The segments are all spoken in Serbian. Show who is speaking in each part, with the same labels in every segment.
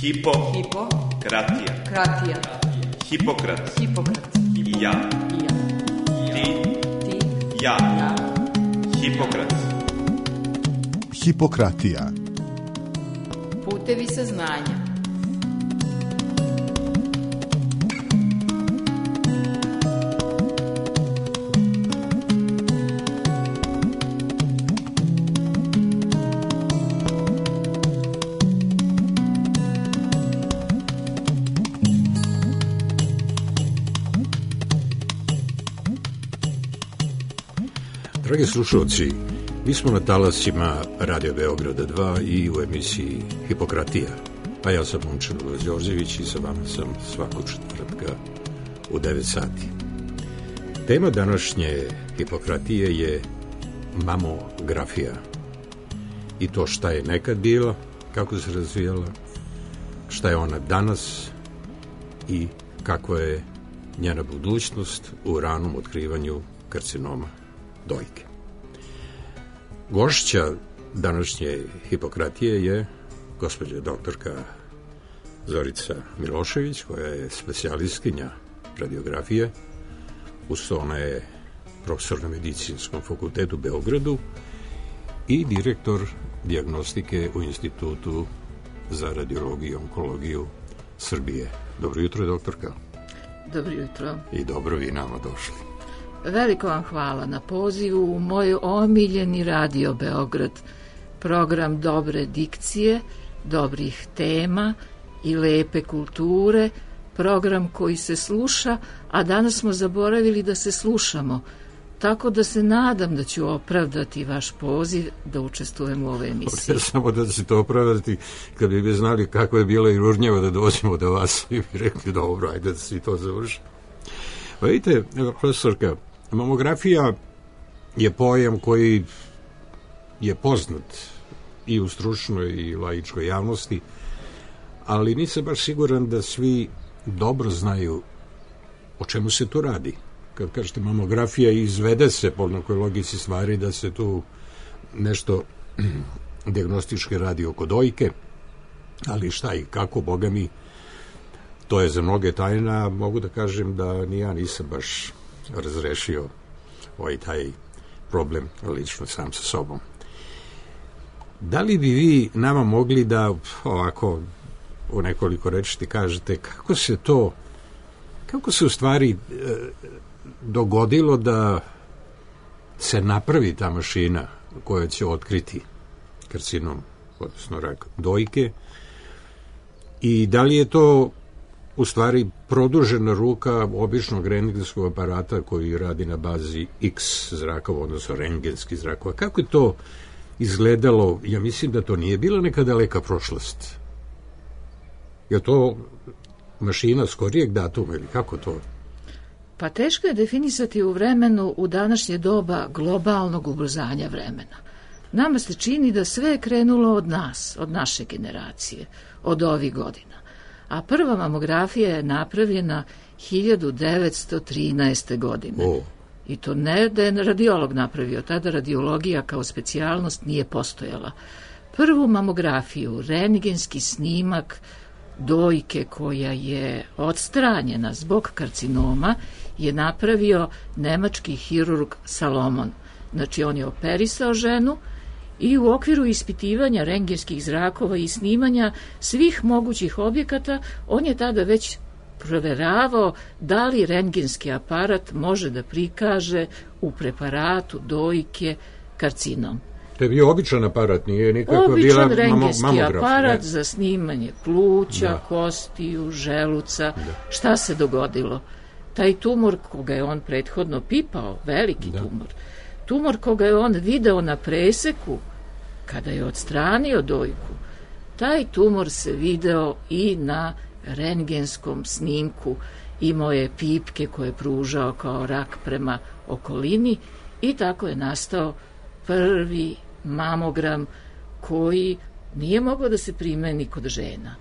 Speaker 1: Hipokratija. Hipokrat. Ja. Ti. Ja. Hipokrat.
Speaker 2: Hipokratija.
Speaker 3: Putevi saznanja.
Speaker 4: Dragi slušalci, mi smo na talasima Radio Beograda 2 i u emisiji Hipokratija. A ja sam Momčilo Đorđević i sa vama sam svakog četvrtka u 9 sati. Tema današnje Hipokratije je mamografija. I to šta je nekad bila, kako se razvijala, šta je ona danas i kakva je njena budućnost u ranom otkrivanju karcinoma dojke. Gošća današnje Hipokratije je gospođa doktorka Zorica Milošević, koja je specijalistkinja radiografije. Uz to ona je profesor na Medicinskom fakultetu u Beogradu i direktor dijagnostike u Institutu za radiologiju i onkologiju Srbije. Dobro jutro, doktorka.
Speaker 3: Dobro jutro.
Speaker 4: I dobro vi nama došli.
Speaker 3: Veliko vam hvala na pozivu u moj omiljeni Radio Beograd, program dobre dikcije, dobrih tema i lepe kulture, program koji se sluša, a danas smo zaboravili da se slušamo, tako da se nadam da ću opravdati vaš poziv da učestvujem u ovoj emisiji.
Speaker 4: Ja samo da se to opravdati, kad bi znali kako je bila i ružnjava da dođemo do vas i bi rekli dobro, ajde da se to završi. Pa vidite, profesorka, mamografija je pojam koji je poznat i u stručnoj i laičkoj javnosti, ali nisam baš siguran da svi dobro znaju o čemu se tu radi. Kad kažete mamografija, izvede se po nekoj logici stvari da se tu nešto dijagnostički radi oko dojke, ali šta i kako, boga mi, to je za mnoge tajna. Mogu da kažem da ni ja nisam baš razrešio taj problem lično sam sa sobom. Da li bi vi nama mogli da ovako u nekoliko reči kažete kako se u stvari dogodilo da se napravi ta mašina koja će otkriti karcinom, odnosno rak dojke, i da li je to u stvari produžena ruka običnog rentgenskog aparata koji radi na bazi X zrakova, odnosno rentgenski zrakova. Kako je to izgledalo? Ja mislim da to nije bila neka daleka prošlost. Je to mašina skorijeg datuma ili kako to?
Speaker 3: Pa teško je definisati u vremenu u današnje doba globalnog ubrzanja vremena. Nama se čini da sve je krenulo od nas, od naše generacije, od ovih godina. A prva mamografija je napravljena 1913. godine. I to ne da je radiolog napravio, tada radiologija kao specijalnost nije postojala. Prvu mamografiju, rentgenski snimak dojke koja je odstranjena zbog karcinoma, je napravio nemački hirurg Salomon. Znači, on je operisao ženu i u okviru ispitivanja rentgenskih zrakova i snimanja svih mogućih objekata, on je tada već proveravao da li rentgenski aparat može da prikaže u preparatu dojke karcinom.
Speaker 4: To je bio običan aparat, nije nikakva bila
Speaker 3: običan rentgenski
Speaker 4: mamograf,
Speaker 3: aparat
Speaker 4: ne?
Speaker 3: Za snimanje pluća, kostiju, želuca. Šta se dogodilo? Taj tumor koga je on prethodno pipao, veliki tumor koga je on video na preseku kada je odstranio dojku, taj tumor se video i na rentgenskom snimku, imao je pipke koje je pružao kao rak prema okolini i tako je nastao prvi mamogram koji nije mogao da se primeni kod žena,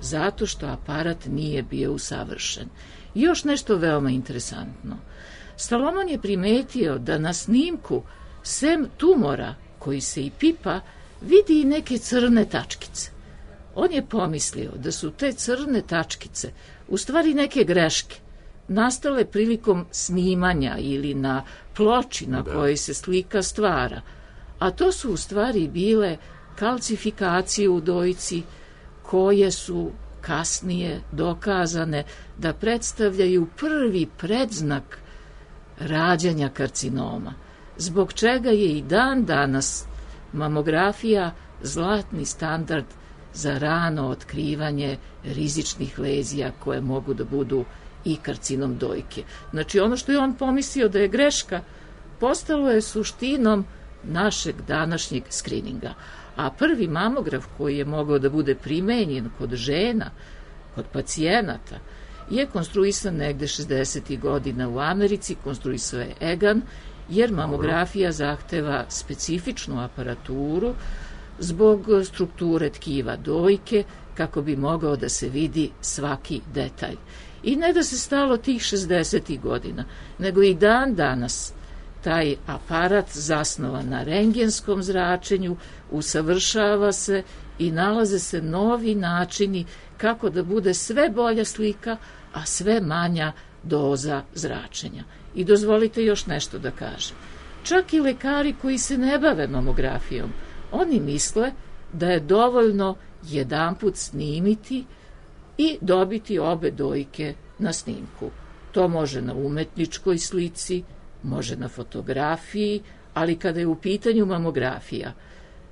Speaker 3: zato što aparat nije bio usavršen. I još nešto veoma interesantno. Salomon je primetio da na snimku, sem tumora koji se i pipa, vidi i neke crne tačkice. On je pomislio da su te crne tačkice u stvari neke greške, nastale prilikom snimanja ili na ploči na kojoj se slika stvara, a to su u stvari bile kalcifikacije u dojci koje su kasnije dokazane da predstavljaju prvi predznak rađanja karcinoma, zbog čega je i dan danas mamografija zlatni standard za rano otkrivanje rizičnih lezija koje mogu da budu i karcinom dojke. Znači, ono što je on pomislio da je greška, postalo je suštinom našeg današnjeg skrininga. A prvi mamograf koji je mogao da bude primenjen kod žena, kod pacijenata, je konstruisan negde 60. godina u Americi, konstruisao je Egan, jer mamografija zahteva specifičnu aparaturu zbog strukture tkiva dojke, kako bi mogao da se vidi svaki detalj. I ne da se stalo tih 60. godina, nego i dan danas taj aparat zasnovan na rengenskom zračenju usavršava se i nalaze se novi načini kako da bude sve bolja slika, a sve manja doza zračenja. I dozvolite još nešto da kažem. Čak i lekari koji se ne bave mamografijom, oni misle da je dovoljno jedanput snimiti i dobiti obe dojke na snimku. To može na umetničkoj slici, može na fotografiji, ali kada je u pitanju mamografija,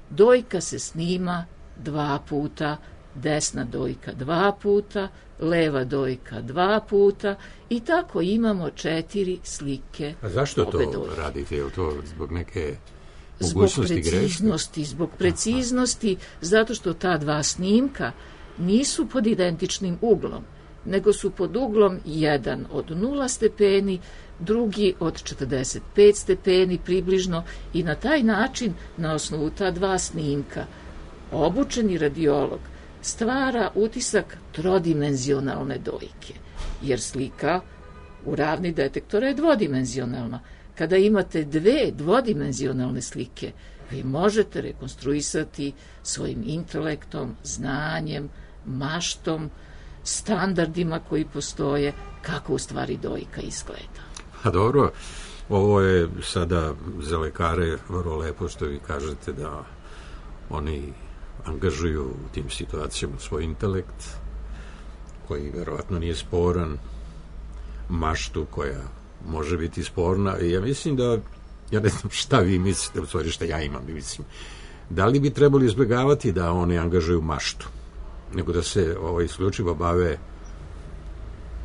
Speaker 3: dojka se snima 2 puta, desna dojka 2 puta, leva dojka 2 puta i tako imamo 4 slike.
Speaker 4: A zašto to
Speaker 3: dojke
Speaker 4: radite? Je li to zbog neke mogućnosti greške?
Speaker 3: Zbog preciznosti, zato što ta 2 snimka nisu pod identičnim uglom, nego su pod uglom jedan od 0 stepeni, drugi od 45 stepeni približno, i na taj način, na osnovu ta 2 snimka, obučeni radiolog stvara utisak trodimenzionalne dojke, jer slika u ravni detektora je dvodimenzionalna. Kada imate 2 dvodimenzionalne slike, vi možete rekonstruisati svojim intelektom, znanjem, maštom, standardima koji postoje, kako u stvari dojka izgleda.
Speaker 4: A dobro, ovo je sada za lekare vrlo lepo što vi kažete da oni angažuju u tim situacijama svoj intelekt, koji verovatno nije sporan, maštu koja može biti sporna, i ja mislim da, ja ne znam šta vi mislite, u stvari šta ja imam, mislim, da li bi trebali izbjegavati da oni angažuju maštu, nego da se isključivo bave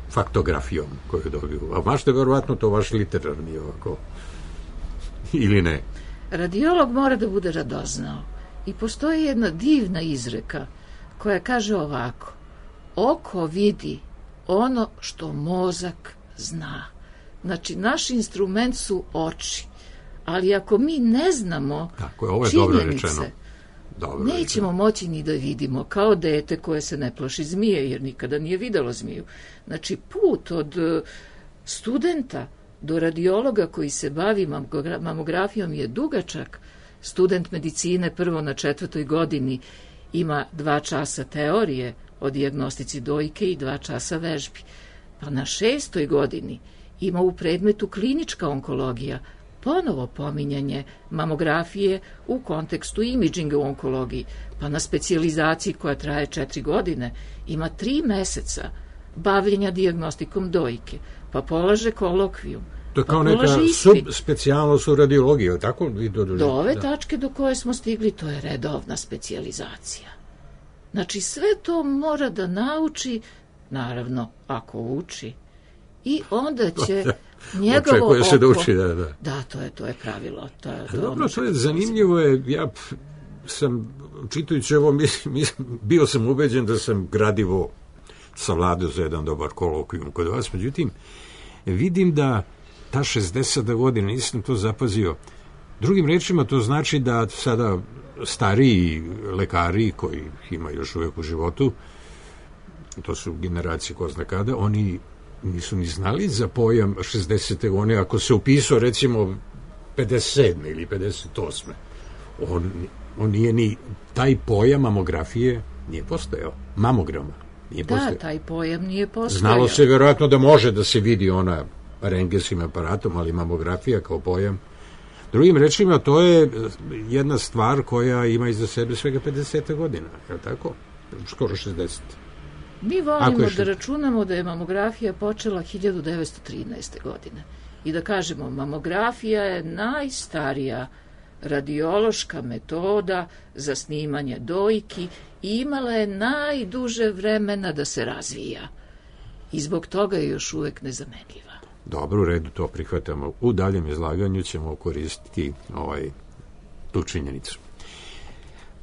Speaker 4: faktografijom koju dobiju. A mašta je verovatno to vaš literarni ovako, ili ne?
Speaker 3: Radiolog mora da bude radoznao. I postoji jedna divna izreka koja kaže ovako: oko vidi ono što mozak zna. Znači, naš instrument su oči, ali ako mi ne znamo činjenice, nećemo moći ni da vidimo, kao dete koje se ne plaši zmije, jer nikada nije videlo zmiju. Znači, put od studenta do radiologa koji se bavi mamografijom je dugačak. Student medicine prvo na 4. godini ima 2 časa teorije o dijagnostici dojke i 2 časa vežbi. Pa na 6. godini ima u predmetu klinička onkologija ponovo pominjanje mamografije u kontekstu imidžinga u onkologiji. Pa na specijalizaciji koja traje 4 godine ima 3 meseca bavljenja dijagnostikom dojke, pa polaže kolokvijum.
Speaker 4: To je kao neka subspecijalnost u radiologiji, je tako?
Speaker 3: Do ove tačke do koje smo stigli, to je redovna specijalizacija. Znači, sve to mora da nauči, naravno, ako uči, i onda će njegovo oko...
Speaker 4: se da uči, da.
Speaker 3: Da, to je pravilo.
Speaker 4: Dobro, to je zanimljivo. Ja sam, čitajući ovo, bio sam ubeđen da sam gradivo savladao za jedan dobar kolokvijum kod vas, međutim, vidim da ta 60. godina, nisam to zapazio. Drugim rečima, to znači da sada stariji lekari koji ima još uvijek u životu, to su generacije ko zna kada, oni nisu ni znali za pojam 60. godine, ako se upisao recimo 57. ili 58. On nije ni taj pojam mamografije nije postojao. Mamograma nije postojao.
Speaker 3: Da, taj pojam nije postojao.
Speaker 4: Znalo se vjerojatno da može da se vidi ona rengenskim aparatom, ali mamografija kao pojam. Drugim rečima, to je jedna stvar koja ima iza sebe svega 50 godina, je li tako? Skoro 60.
Speaker 3: Mi volimo da računamo da je mamografija počela 1913. godine i da kažemo mamografija je najstarija radiološka metoda za snimanje dojki i imala je najduže vremena da se razvija i zbog toga je još uvek nezamenljiva.
Speaker 4: Dobro, u redu, to prihvatamo. U daljem izlaganju ćemo koristiti tu činjenicu.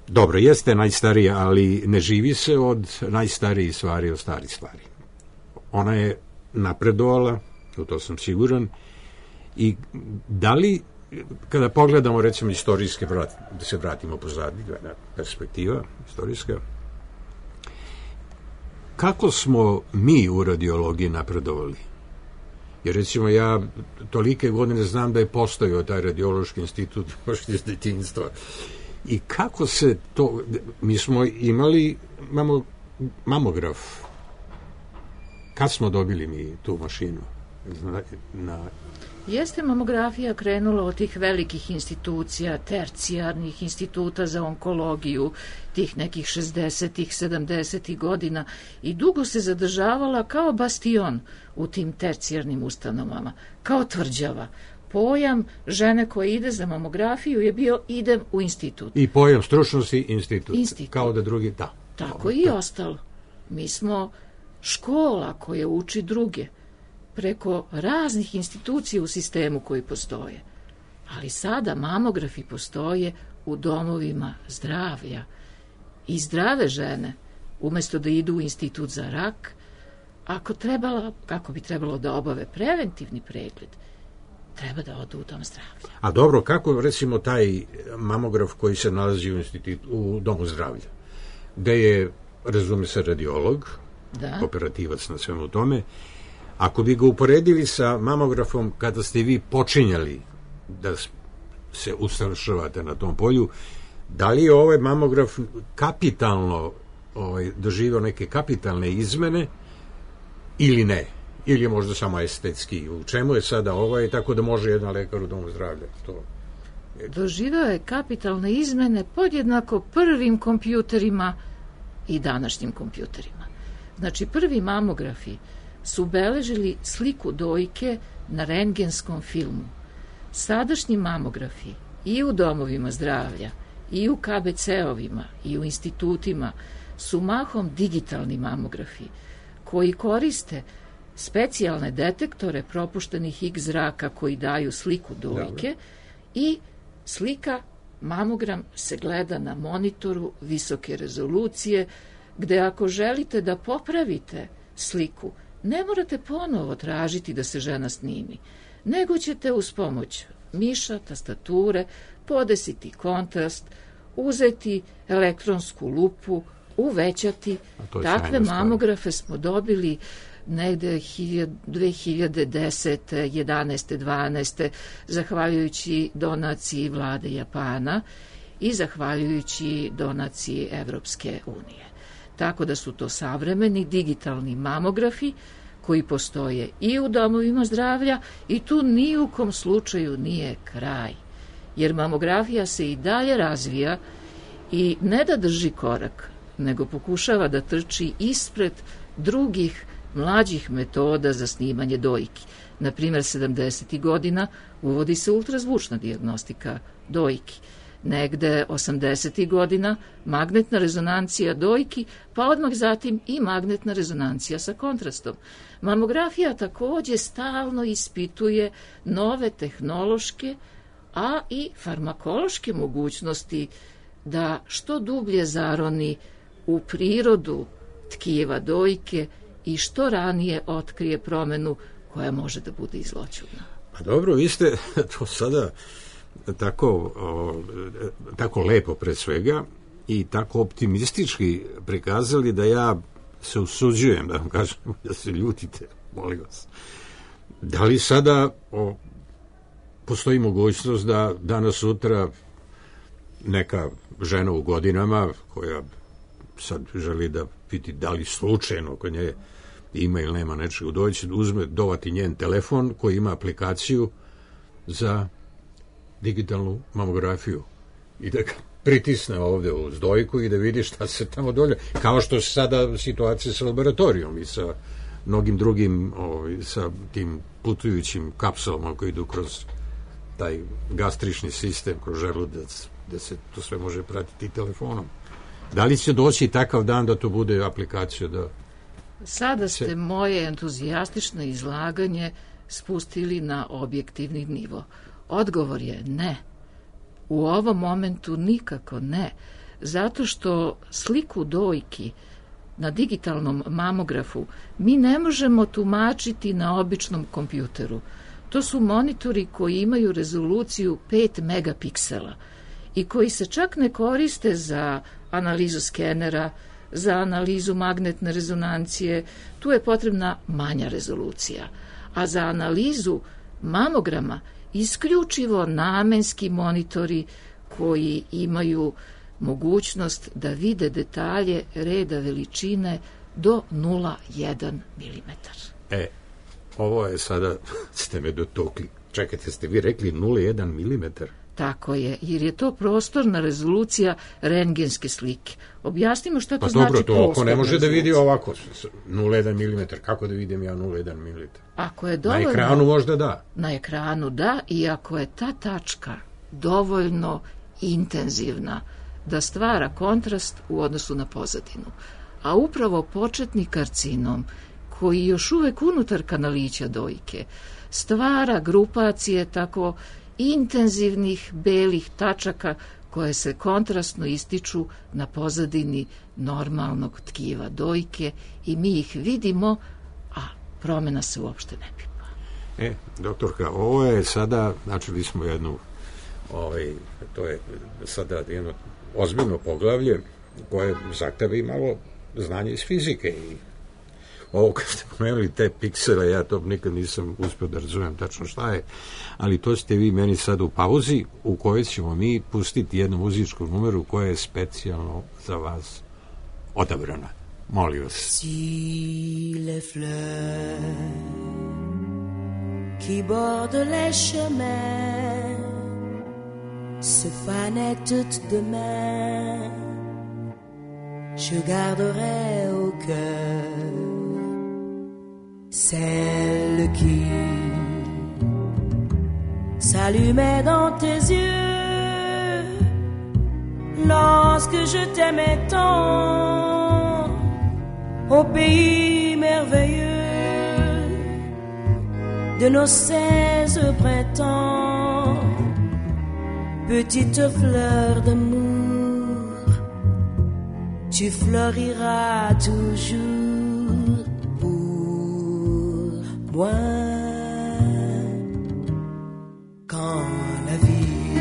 Speaker 4: Dobro, jeste najstarija, ali ne živi se od najstarijih stvari, od starih stvari. Ona je napredovala, u to sam siguran, i da li, kada pogledamo, recimo, istorijske, da se vratimo pozadnje, perspektiva istorijska, kako smo mi u radiologiji napredovali? Jer, recimo, ja tolike godine znam da je postojao taj radiološki institut još iz detinjstva. I kako se to... Mi smo imali mamograf. Kad smo dobili mi tu mašinu?
Speaker 3: Jeste mamografija krenula od tih velikih institucija, tercijarnih instituta za onkologiju, tih nekih 60-ih, 70-ih godina i dugo se zadržavala kao bastion u tim tercijarnim ustanovama, kao tvrđava. Pojam žene koja ide za mamografiju je bio idem u institut.
Speaker 4: I pojam stručnosti institut. Kao da drugi, da.
Speaker 3: Tako i ostalo. Mi smo škola koja uči druge preko raznih institucija u sistemu koji postoje. Ali sada mamografi postoje u domovima zdravlja. I zdrave žene, umesto da idu u institut za rak, kako bi trebalo da obave preventivni pregled, treba da odu u dom zdravlja.
Speaker 4: A dobro, kako recimo taj mamograf koji se nalazi u domu zdravlja, gde je, razume se, radiolog, operativac na svemu tome, ako bi ga uporedili sa mamografom kada ste vi počinjali da se usavršavate na tom polju, da li je ovaj mamograf kapitalno doživio neke kapitalne izmene ili ne? Ili je možda samo estetski? U čemu je sada tako da može jedan lekar u domu zdravlja?
Speaker 3: Doživio je kapitalne izmene podjednako prvim kompjuterima i današnjim kompjuterima. Znači, prvi mamografi su beležili sliku dojke na rentgenskom filmu. Sadašnji mamografi i u domovima zdravlja, i u KBC-ovima, i u institutima su mahom digitalni mamografi koji koriste specijalne detektore propuštenih X zraka koji daju sliku dojke i slika, mamogram se gleda na monitoru visoke rezolucije, gde ako želite da popravite sliku, ne morate ponovo tražiti da se žena snimi, nego ćete uz pomoć miša, tastature, podesiti kontrast, uzeti elektronsku lupu, uvećati. Takve mamografe smo dobili negde 2010. 11. 12. zahvaljujući donaciji vlade Japana i zahvaljujući donaciji Evropske unije. Tako da su to savremeni digitalni mamografi koji postoje i u domovima zdravlja i tu ni u kom slučaju nije kraj. Jer mamografija se i dalje razvija i ne da drži korak, nego pokušava da trči ispred drugih mlađih metoda za snimanje dojki. Naprimjer, 70. godina uvodi se ultrazvučna dijagnostika dojki. Negde 80. godina magnetna rezonancija dojki, pa odmah zatim i magnetna rezonancija sa kontrastom. Mamografija takođe stalno ispituje nove tehnološke, a i farmakološke mogućnosti da što dublje zaroni u prirodu tkiva dojke i što ranije otkrije promenu koja može da bude i zloćudna.
Speaker 4: Pa dobro, vi ste to sada tako lepo pre svega i tako optimistički prikazali da ja se usuđujem da vam kažem da se ljutite, molim vas. Da li sada postoji mogućnost da danas sutra neka žena u godinama koja sad želi da vidi da li slučajno kod nje ima ili nema nečega, doći, uzme, dovati njen telefon koji ima aplikaciju za digitalnu mamografiju i da ga pritisne ovde uz dojku i da vidi šta se tamo dolje, kao što se sada situacija sa laboratorijom i sa mnogim drugim sa tim putujućim kapsulama koji idu kroz taj gastrični sistem, kroz želudac, gde se to sve može pratiti telefonom. Da li će doći takav dan da to bude aplikacija da...
Speaker 3: Sada ste moje entuzijastično izlaganje spustili na objektivni nivo. Odgovor je ne. U ovom momentu nikako ne. Zato što sliku dojki na digitalnom mamografu mi ne možemo tumačiti na običnom kompjuteru. To su monitori koji imaju rezoluciju 5 megapiksela i koji se čak ne koriste za analizu skenera, za analizu magnetne rezonancije. Tu je potrebna manja rezolucija. A za analizu mamograma isključivo namenski monitori koji imaju mogućnost da vide detalje reda veličine do 0,1 mm.
Speaker 4: Ovo je sada, ste me dotukli. Čekajte, ste vi rekli 0,1 mm?
Speaker 3: Tako je, jer je to prostorna rezolucija rentgenske slike. Objasnimo šta to znači prostorna rezolucija. Pa dobro, to oko ne može da vidi ovako 0,1 mm. Kako da vidim ja 0,1 mm? Ako je dovoljno,
Speaker 4: na ekranu možda da.
Speaker 3: Na ekranu da, i ako je ta tačka dovoljno intenzivna da stvara kontrast u odnosu na pozadinu. A upravo početni karcinom, koji još uvek unutar kanalića dojke stvara grupacije tako intenzivnih belih tačaka koje se kontrastno ističu na pozadini normalnog tkiva dojke i mi ih vidimo, a promena se uopšte ne pipa.
Speaker 4: Doktorka, ovo je sada, načeli smo jednu, to je sada jedno ozbiljno poglavlje koje zahteva i malo znanje iz fizike i ovo kad ste pomenuli te piksele, ja to nikad nisam uspio da razumem tačno šta je, ali to ste vi meni sad u pauzi u kojoj ćemo mi pustiti jednu muzičku numeru koja je specijalno za vas odabrana. Molim vas.
Speaker 2: Si les fleurs qui bordent les chemins se fanaient toutes demain, je garderai au cœur celle qui s'allumait dans tes yeux lorsque je t'aimais tant au pays merveilleux de nos 16 printemps. Petite fleur d'amour, tu floriras toujours pour moi. Quand la vie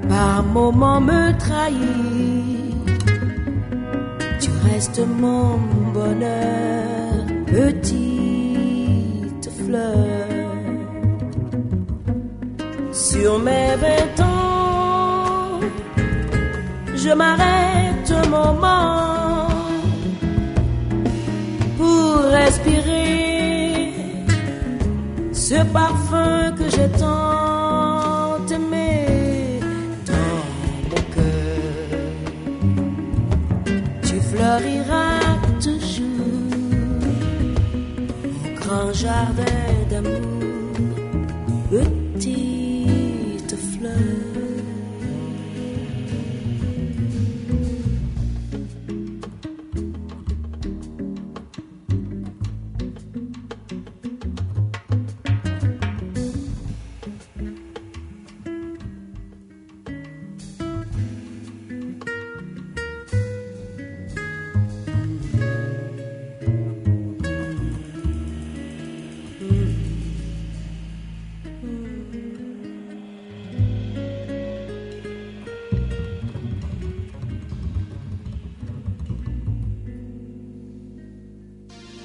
Speaker 2: par moments me trahit, tu restes mon bonheur, petite fleur. Sur mes 20 ans, je m'arrête un moment pour respirer ce parfum que j'ai tant aimé dans mon cœur. Tu floriras toujours au grand jardin d'amour, petite fleur.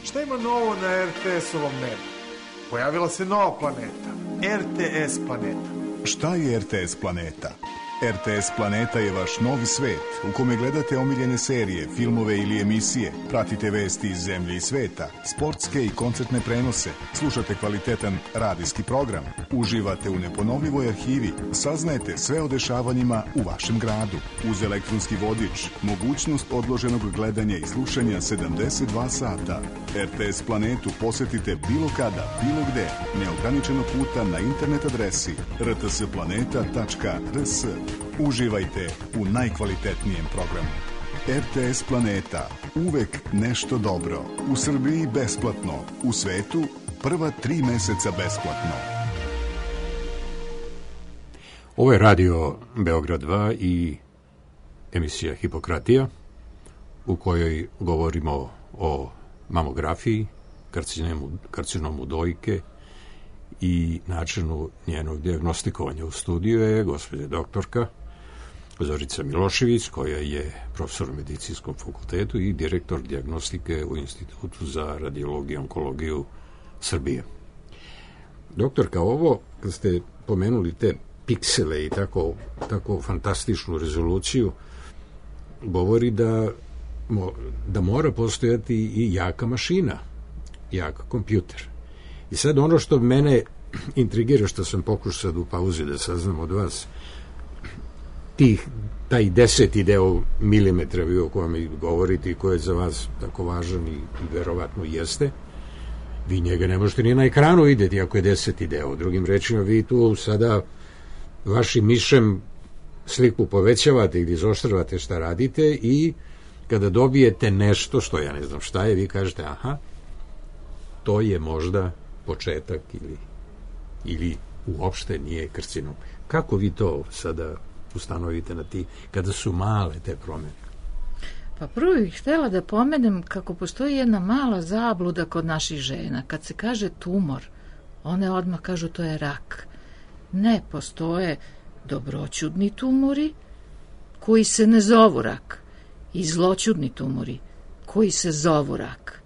Speaker 5: Šta ima novo na RTS-ovom nebu? Pojavila se nova planeta, RTS planeta.
Speaker 6: Šta je RTS planeta? RTS Planeta je vaš novi svet u kome gledate omiljene serije, filmove ili emisije, pratite vesti iz zemlje i sveta, sportske i koncertne prenose, slušate kvalitetan radijski program, uživate u neponovljivoj arhivi, saznajete sve o dešavanjima u vašem gradu. Uz elektronski vodič, mogućnost odloženog gledanja i slušanja 72 sata. RTS Planetu posetite bilo kada, bilo gde, neograničeno puta na internet adresi rtsplaneta.rs. Uživajte u najkvalitetnijem programu. RTS Planeta. Uvek nešto dobro. U Srbiji besplatno. U svetu prva 3 meseca besplatno.
Speaker 4: Ovo je radio Beograd 2 i emisija Hipokratija, u kojoj govorimo o mamografiji, karcinomu dojke i načinu njenog dijagnostikovanja. U studiju je gospođa doktorka Zorica Milošević, koja je profesor u medicinskom fakultetu i direktor dijagnostike u Institutu za radiologiju i onkologiju Srbije. Doktorka, ovo, kad ste pomenuli te piksele i tako fantastičnu rezoluciju, govori da mora postojati i jaka mašina, jak kompjuter. I sad ono što mene intrigira, što sam pokušao sad u pauzi da saznam od vas, taj 10. deo milimetra vi o kojem govorite i koji je za vas tako važan i verovatno jeste, vi njega ne možete ni na ekranu vidjeti ako je 10. deo. Drugim rečima, vi tu sada vašim mišem sliku povećavate ili izoštravate šta radite i kada dobijete nešto što ja ne znam šta je, vi kažete aha, to je možda početak ili uopšte nije karcinom. Kako vi to sada ustanovite kada su male te promjene?
Speaker 3: Pa prvo bih htjela da pomenem kako postoji jedna mala zabluda kod naših žena. Kad se kaže tumor, one odmah kažu to je rak. Ne, postoje dobroćudni tumori koji se ne zovu rak i zloćudni tumori koji se zovu rak.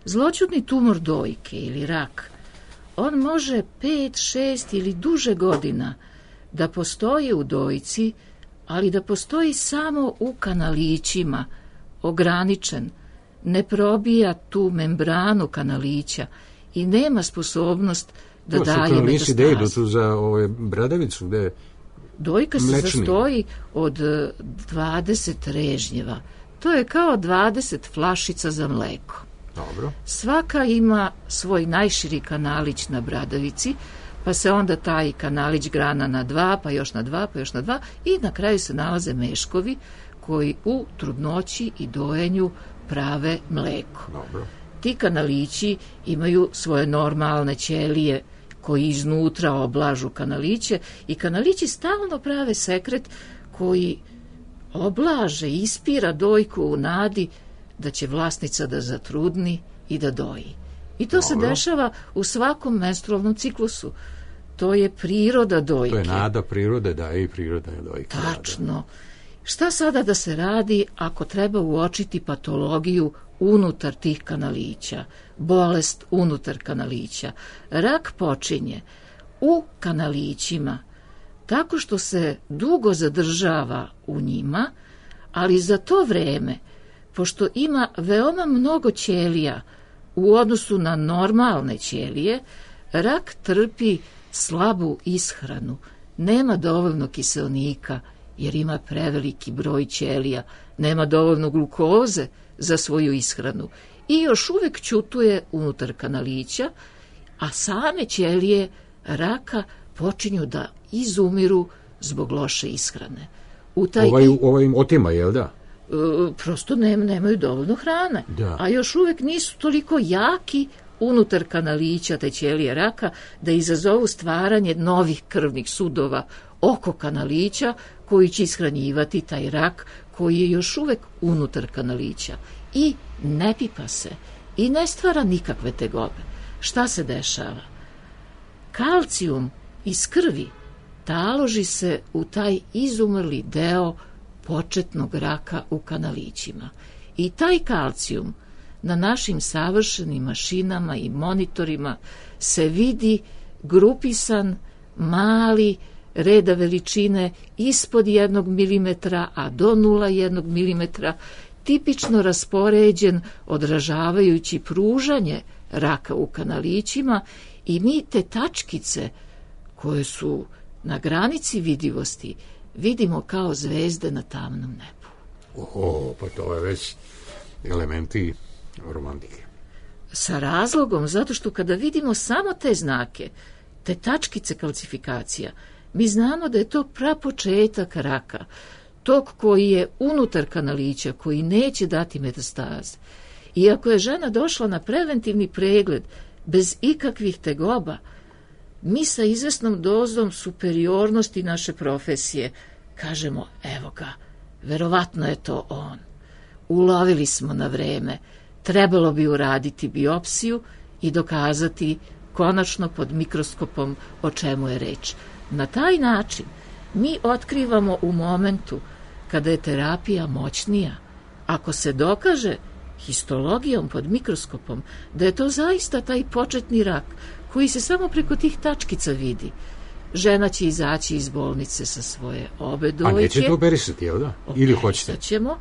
Speaker 3: Zloćudni tumor dojke ili rak, on može 5, 6 ili duže godina da postoji u dojci, ali da postoji samo u kanalićima, ograničen, ne probija tu membranu kanalića i nema sposobnost da daje metastazu. To su kanalići gde idu tu za bradavicu, gde
Speaker 2: Dojka se sastoji od 20 režnjeva. To je kao 20 flašica za mleko.
Speaker 4: Dobro.
Speaker 2: Svaka ima svoj najširi kanalić na bradavici, pa se onda taj kanalić grana na 2, pa još na 2, pa još na 2 i na kraju se nalaze meškovi koji u trudnoći i dojenju prave mleko.
Speaker 4: Dobro.
Speaker 2: Ti kanalići imaju svoje normalne ćelije koji iznutra oblažu kanaliće i kanalići stalno prave sekret koji oblaže, ispira dojku u nadi da će vlasnica da zatrudni i da doji. I to se dešava u svakom menstrualnom ciklusu. To je priroda dojke.
Speaker 4: To je nada prirode, da, i priroda je dojke.
Speaker 2: Tačno. Šta sada da se radi ako treba uočiti patologiju unutar tih kanalića, bolest unutar kanalića? Rak počinje u kanalićima tako što se dugo zadržava u njima, ali za to vreme, pošto ima veoma mnogo ćelija u odnosu na normalne ćelije, rak trpi slabu ishranu, nema dovoljno kiseonika jer ima preveliki broj ćelija, nema dovoljno glukoze za svoju ishranu i još uvek ćutuje unutar kanalića, a same ćelije raka počinju da izumiru zbog loše ishrane.
Speaker 4: Ovaj im otima, jel da?
Speaker 2: Prosto nemaju dovoljno hrane,
Speaker 4: da.
Speaker 2: A još uvek nisu toliko jaki unutar kanalića te ćelije raka da izazovu stvaranje novih krvnih sudova oko kanalića koji će ishranjivati taj rak koji je još uvek unutar kanalića i ne pipa se i ne stvara nikakve tegobe. Šta se dešava? Kalcijum iz krvi taloži se u taj izumrli deo početnog raka u kanalićima. I taj kalcijum na našim savršenim mašinama i monitorima se vidi grupisan, mali, reda veličine ispod 1 milimetra, a do 0,1 milimetra, tipično raspoređen, odražavajući pružanje raka u kanalićima, i mi te tačkice koje su na granici vidivosti vidimo kao zvezde na tamnom nebu.
Speaker 4: Pa to je već elementi romantike.
Speaker 2: Sa razlogom, zato što kada vidimo samo te znake, te tačkice kalcifikacija, mi znamo da je to prapočetak raka, tog koji je unutar kanalića, koji neće dati metastaze. I ako je žena došla na preventivni pregled bez ikakvih tegoba, mi sa izvesnom dozom superiornosti naše profesije kažemo, evo ga, verovatno je to on. Ulovili smo na vreme, trebalo bi uraditi biopsiju i dokazati konačno pod mikroskopom o čemu je reč. Na taj način mi otkrivamo u momentu kada je terapija moćnija, ako se dokaže histologijom pod mikroskopom da je to zaista taj početni rak koji se samo preko tih tačkica vidi, žena će izaći iz bolnice sa svoje obe dojke.
Speaker 4: A nećete operisati, jel da? Ili hoćete?
Speaker 2: Ćemo.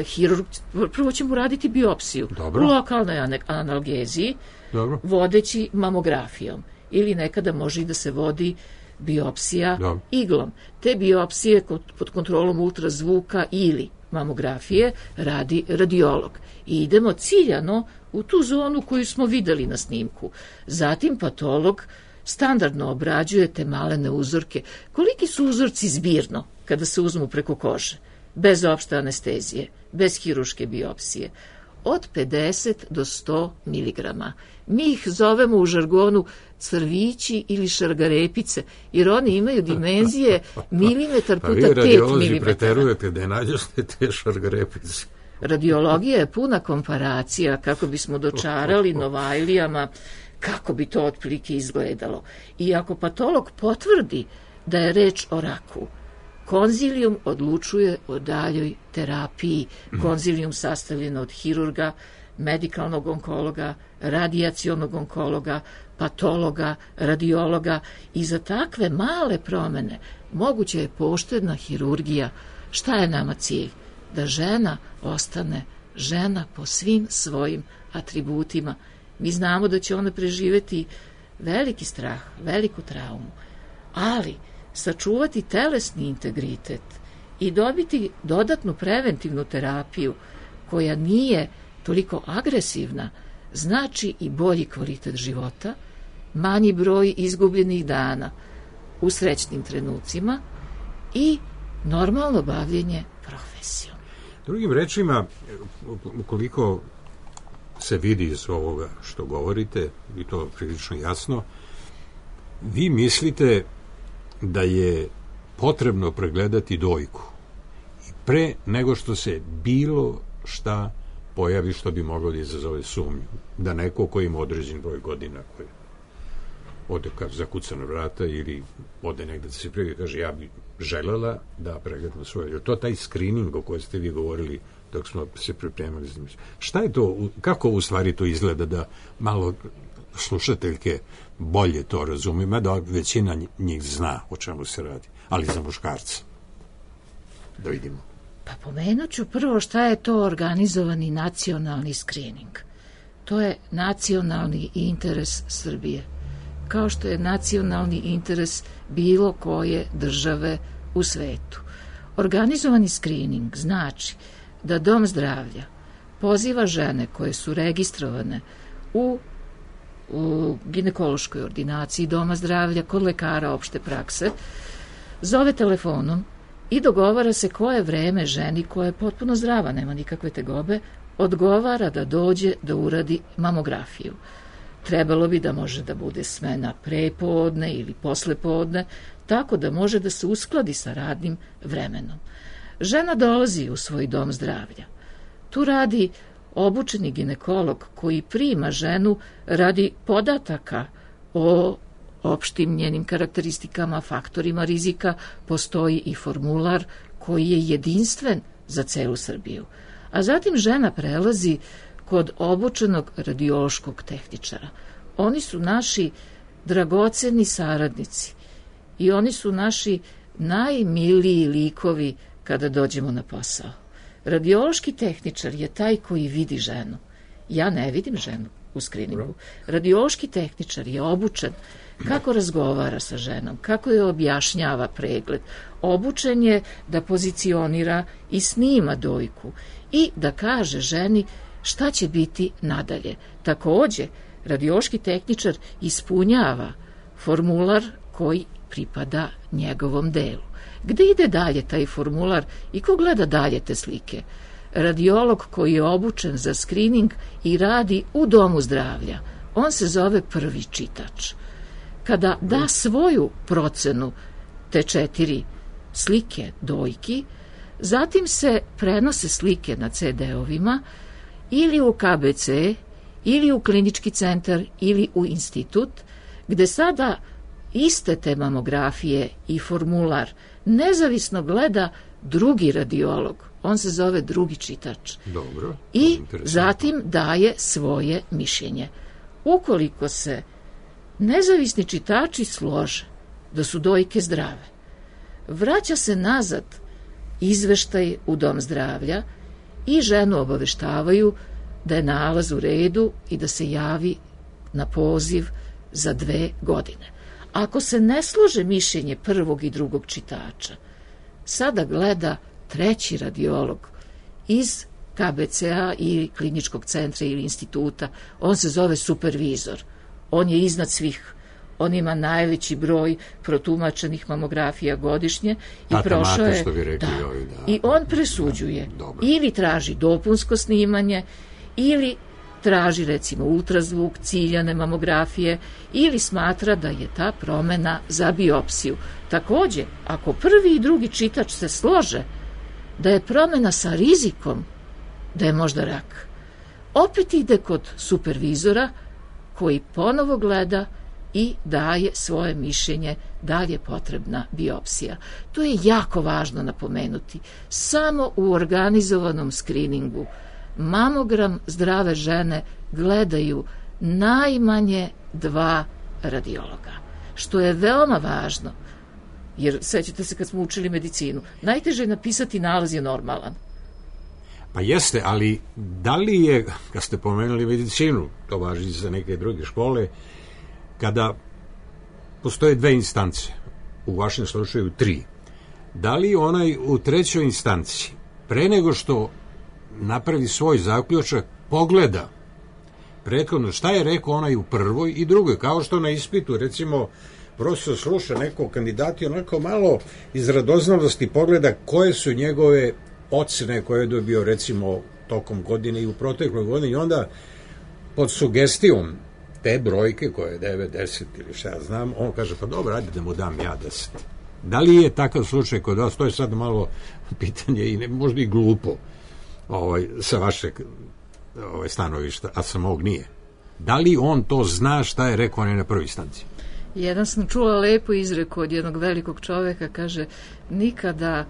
Speaker 2: Hirurg, prvo ćemo raditi biopsiju.
Speaker 4: Dobro.
Speaker 2: U lokalnoj analgeziji. Dobro. Vodeći mamografijom. Ili nekada može i da se vodi biopsija iglom. Te biopsije pod kontrolom ultrazvuka ili mamografije radi radiolog. I idemo ciljano u tu zonu koju smo videli na snimku. Zatim patolog standardno obrađuje te malene uzorke. Koliki su uzorci zbirno kada se uzmu preko kože? Bez opšte anestezije, bez hiruške biopsije. Od 50 do 100 miligrama. Mi ih zovemo u žargonu crvići ili šargarepice, jer oni imaju dimenzije milimetar puta 5 milimetara.
Speaker 4: Pa vi radiolozi preterujete da je nađoste te šargarepice.
Speaker 2: Radiologija je puna komparacija kako bismo dočarali Novajlijama kako bi to otprilike izgledalo. I ako patolog potvrdi da je reč o raku, konzilijum odlučuje o daljoj terapiji. Konzilijum sastavljen od hirurga, medikalnog onkologa, radijacionog onkologa, patologa, radiologa, i za takve male promene moguće je poštedna hirurgija. Šta je nama cilj? Da žena ostane žena po svim svojim atributima. Mi znamo da će ona preživeti veliki strah, veliku traumu, ali sačuvati telesni integritet i dobiti dodatnu preventivnu terapiju koja nije toliko agresivna, znači i bolji kvalitet života, manji broj izgubljenih dana u srećnim trenucima i normalno bavljenje profesijom.
Speaker 4: Drugim rečima, ukoliko se vidi iz ovoga što govorite, i to prilično jasno, vi mislite da je potrebno pregledati dojku i pre nego što se bilo šta pojavi što bi moglo da izazove sumnju, da neko ko ima određen broj godina, koji ode zakuca na vrata ili ode negde da se pregleda, kaže ja bi želela da pregledam svoje. To taj screening o kojoj ste vi govorili dok smo se pripremali. Šta je to, kako u stvari to izgleda, da malo slušateljke bolje to razumiju, mada većina njih zna o čemu se radi, ali za muškarca. Da vidimo.
Speaker 2: Pa pomenut ću prvo šta je to organizovani nacionalni screening. To je nacionalni interes Srbije, kao što je nacionalni interes bilo koje države u svetu. Organizovani screening znači da Dom zdravlja poziva žene koje su registrovane u ginekološkoj ordinaciji Doma zdravlja kod lekara opšte prakse, zove telefonom i dogovara se koje vreme ženi koja je potpuno zdrava, nema nikakve tegobe, odgovara da dođe da uradi mamografiju. Trebalo bi da može da bude smena prepodne ili poslepodne, tako da može da se uskladi sa radnim vremenom. Žena dolazi u svoj dom zdravlja. Tu radi obučeni ginekolog koji prima ženu radi podataka o opštim njenim karakteristikama, faktorima rizika. Postoji i formular koji je jedinstven za celu Srbiju. A zatim žena prelazi kod obučenog radiološkog tehničara. Oni su naši dragoceni saradnici
Speaker 3: i oni su naši najmiliji likovi kada dođemo na posao. Radiološki tehničar je taj koji vidi ženu. Ja ne vidim ženu u skriningu. Radiološki tehničar je obučen kako razgovara sa ženom, kako je objašnjava pregled. Obučen je da pozicionira i snima dojku i da kaže ženi šta će biti nadalje. Takođe, radiološki tehničar ispunjava formular koji pripada njegovom delu. Gde ide dalje taj formular i ko gleda dalje te slike? Radiolog koji je obučen za skrining i radi u domu zdravlja, on se zove prvi čitač. Kada da svoju procenu te 4 slike dojki, zatim se prenose slike na CD-ovima ili u KBC, ili u klinički centar, ili u institut, gde sada iste te mamografije i formular nezavisno gleda drugi radiolog. On se zove drugi čitač.
Speaker 4: Dobro.
Speaker 3: I zatim daje svoje mišljenje. Ukoliko se nezavisni čitači slože da su dojke zdrave, vraća se nazad izveštaj u dom zdravlja i ženu obaveštavaju da je nalaz u redu i da se javi na poziv za 2 godine. Ako se ne slože mišljenje prvog i drugog čitača, sada gleda treći radiolog iz KBC-a i kliničkog centra ili instituta. On se zove supervizor. On je iznad svih. On ima najveći broj protumačenih mamografija godišnje i prošao je,
Speaker 4: što bi rekli,
Speaker 3: i on presuđuje. Ili traži dopunsko snimanje, ili traži recimo ultrazvuk, ciljane mamografije, ili smatra da je ta promena za biopsiju. Takođe, ako prvi i drugi čitač se slože da je promena sa rizikom da je možda rak, opet ide kod supervizora koji ponovo gleda i daje svoje mišljenje da li je potrebna biopsija. To je jako važno napomenuti. Samo u organizovanom skriningu mamogram zdrave žene gledaju najmanje 2 radiologa, što je veoma važno, jer sećate se kad smo učili medicinu, najteže je napisati nalaz je normalan.
Speaker 4: Pa jeste, ali da li je, kad ste pomenuli medicinu, to važi za neke druge škole, kada postoje 2 instance, u vašem slučaju 3, da li onaj u 3. instanci, pre nego što napravi svoj zaključak, pogleda prethodno šta je rekao onaj u prvoj i drugoj, kao što na ispitu, recimo, profesor sluša nekog kandidata i onako malo iz radoznalosti pogleda koje su njegove ocene koje je dobio, recimo, tokom godine i u protekloj godini, i onda pod sugestijom te brojke koje je 9, 10 ili šta ja znam, on kaže, pa dobro, ajde da mu dam ja 10. Da li je takav slučaj kod vas? To je sad malo pitanje i možda i glupo sa vašeg stanovišta, a sa mog nije. Da li on to zna šta je rekao on je na prvoj instanci?
Speaker 3: Jedan sam čula lepo izreku od jednog velikog čoveka, kaže, nikada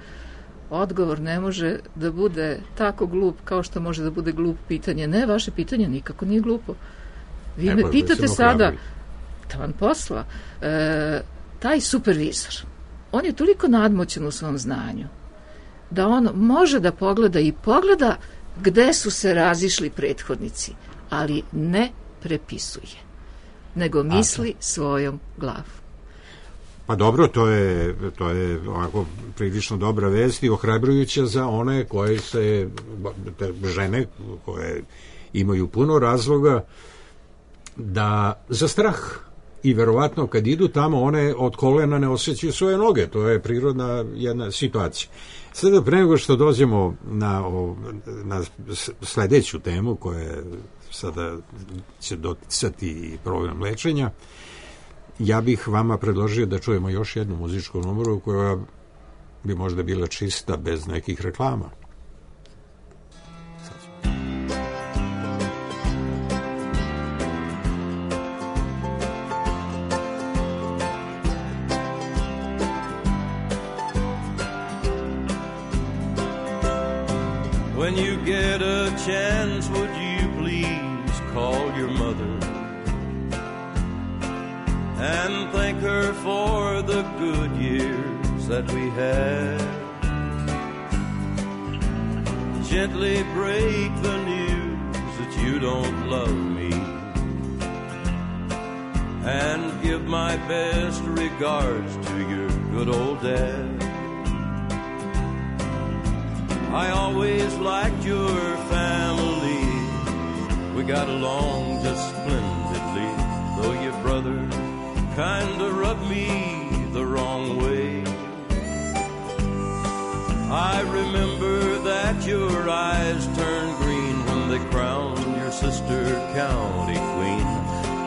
Speaker 3: odgovor ne može da bude tako glup kao što može da bude glup pitanje. Ne, vaše pitanje nikako nije glupo. Vi me pitate sada, taman posla, taj supervizor, on je toliko nadmoćan u svom znanju, da on može da pogleda i pogleda gde su se razišli prethodnici, ali ne prepisuje, nego misli svojom glavom.
Speaker 4: Pa dobro, to je ovako prilično dobra vest i ohrabrujuća za one koje se, te žene koje imaju puno razloga da za strah i verovatno kad idu tamo one od kolena ne osjećaju svoje noge, to je prirodna jedna situacija. Sada pre nego što dođemo na sledeću temu koja sada će doticati problem lečenja, ja bih vama predložio da čujemo još jednu muzičku numeru koja bi možda bila čista bez nekih reklama.
Speaker 7: When you get a chance, would you please call your mother and thank her for the good years that we had. Gently break the news that you don't love me, and give my best regards to your good old dad. I always liked your family, we got along just splendidly, though your brother kinda rubbed me the wrong way. I remember that your eyes turned green when they crowned your sister county queen,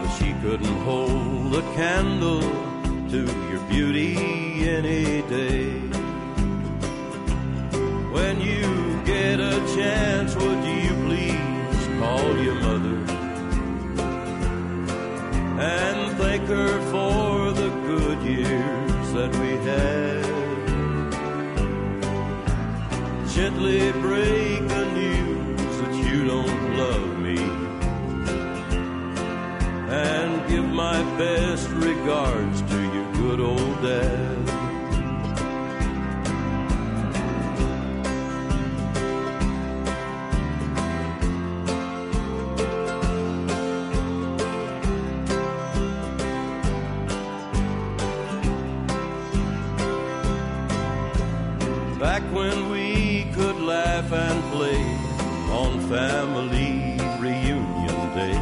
Speaker 7: but she couldn't hold a candle to your beauty any day. When you get a chance, would you please call your mother and thank her for the good years that we had. Gently break the news that you don't love me, and give my best regards to your good old dad. Back when we could laugh and play on family reunion day,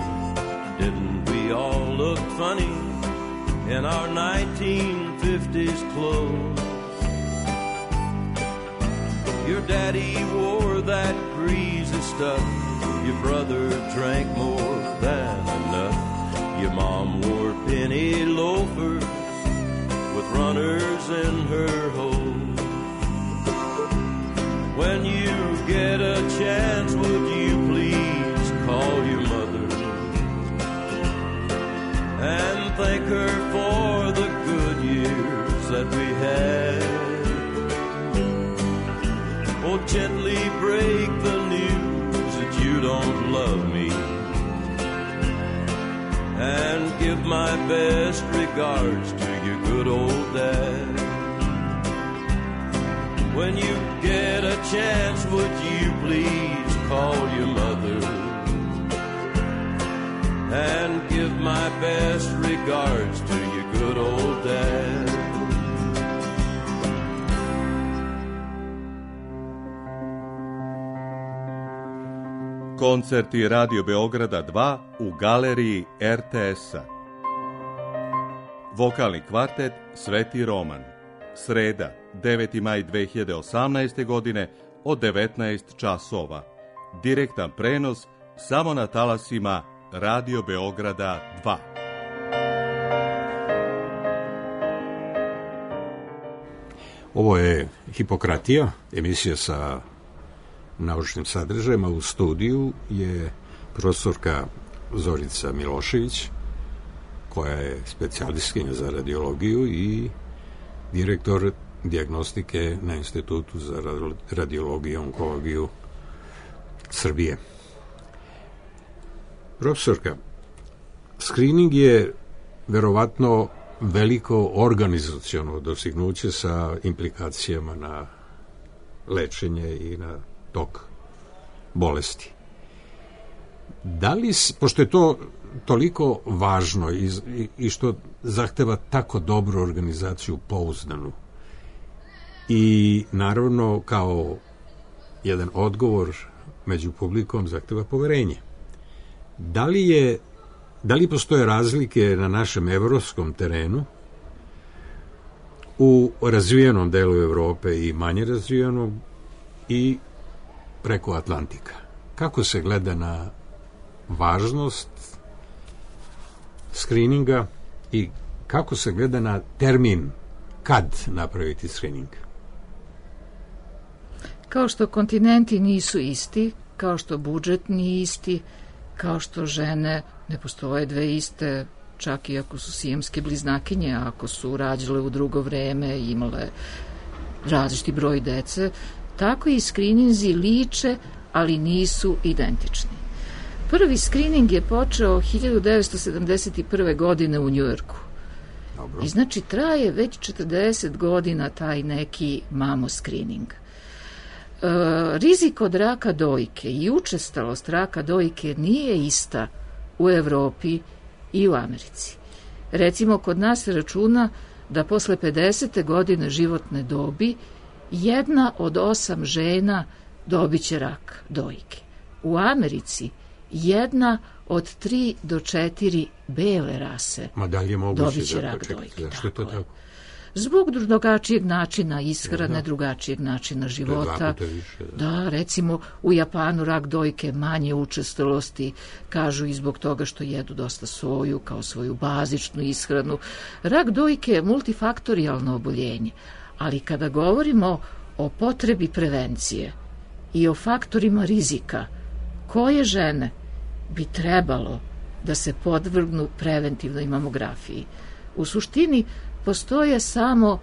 Speaker 7: didn't we all look funny in our 1950s clothes? Your daddy wore that greasy stuff, your brother drank more than enough, your mom wore penny loafers with runners in her hose. When you get a chance, would you please call your mother and thank her for the good years that we had? Oh, gently break the news that you don't love me, and give my best regards to your good old dad. When you get a chance, would you please call your mother and give my best regards to your good old dad.
Speaker 8: Koncerti Radio Beograda 2 u galeriji RTS-a. Vokalni kvartet Sveti Roman. Sreda, 9. maj 2018. godine od 19 časova. Direktan prenos samo na talasima Radio Beograda 2.
Speaker 4: Ovo je Hipokratija, emisija sa naučnim sadržajima. U studiju je profesorka Zorica Milošević, koja je specijalistkinja za radiologiju i direktor dijagnostike na Institutu za radiologiju i onkologiju Srbije. Profesorka, skrining je verovatno veliko organizaciono dostignuće sa implikacijama na lečenje i na tok bolesti. Da li, pošto je to toliko važno i što zahteva tako dobru organizaciju, pouzdanu, i naravno kao jedan odgovor među publikom zahteva poverenje. Da li postoje razlike na našem evropskom terenu, u razvijenom delu Evrope i manje razvijenom, i preko Atlantika? Kako se gleda na važnost skrininga i kako se gleda na termin kad napraviti skrining?
Speaker 2: Kao što kontinenti nisu isti, kao što budžet nije isti, kao što žene ne postoje dve iste, čak i ako su sijemske bliznakinje, ako su rađale u drugo vreme i imale različiti broj dece, tako i skrininzi liče, ali nisu identični. Prvi skrining je počeo 1971. godine u Njujorku.
Speaker 4: Dobro.
Speaker 2: I znači traje već 40 godina taj neki mamo screening. Rizik od raka dojke i učestalost raka dojke nije ista u Evropi i u Americi. Recimo, kod nas se računa da posle 50. godine životne dobi 1 od 8 žena dobit će rak dojke. U Americi 1 od 3 do 4 bele rase dobit će rak dojke.
Speaker 4: Zašto je to tako?
Speaker 2: Zbog drugačijeg načina ishrane, drugačijeg načina života. Da, recimo u Japanu rak dojke manje učestalosti, kažu i zbog toga što jedu dosta soju kao svoju bazičnu ishranu. Rak dojke je multifaktorijalno oboljenje, ali kada govorimo o potrebi prevencije i o faktorima rizika, koje žene bi trebalo da se podvrgnu preventivnoj mamografiji? U suštini postoje samo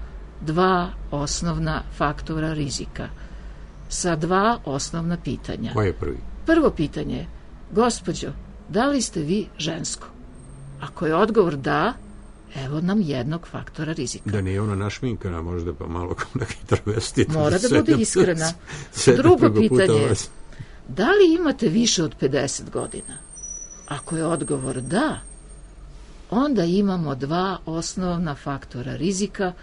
Speaker 2: 2 osnovna faktora rizika sa 2 osnovna pitanja.
Speaker 4: Koje je prvi?
Speaker 2: Prvo pitanje je, gospođo, da li ste vi žensko? Ako je odgovor da, evo nam jednog faktora rizika.
Speaker 4: Da nije ona našminkana, možda pa malo kao neki travestit.
Speaker 2: Mora da bude iskrena. Drugo pitanje je, da li imate više od 50 godina? Ako je odgovor da, onda imamo 2 osnovna faktora rizika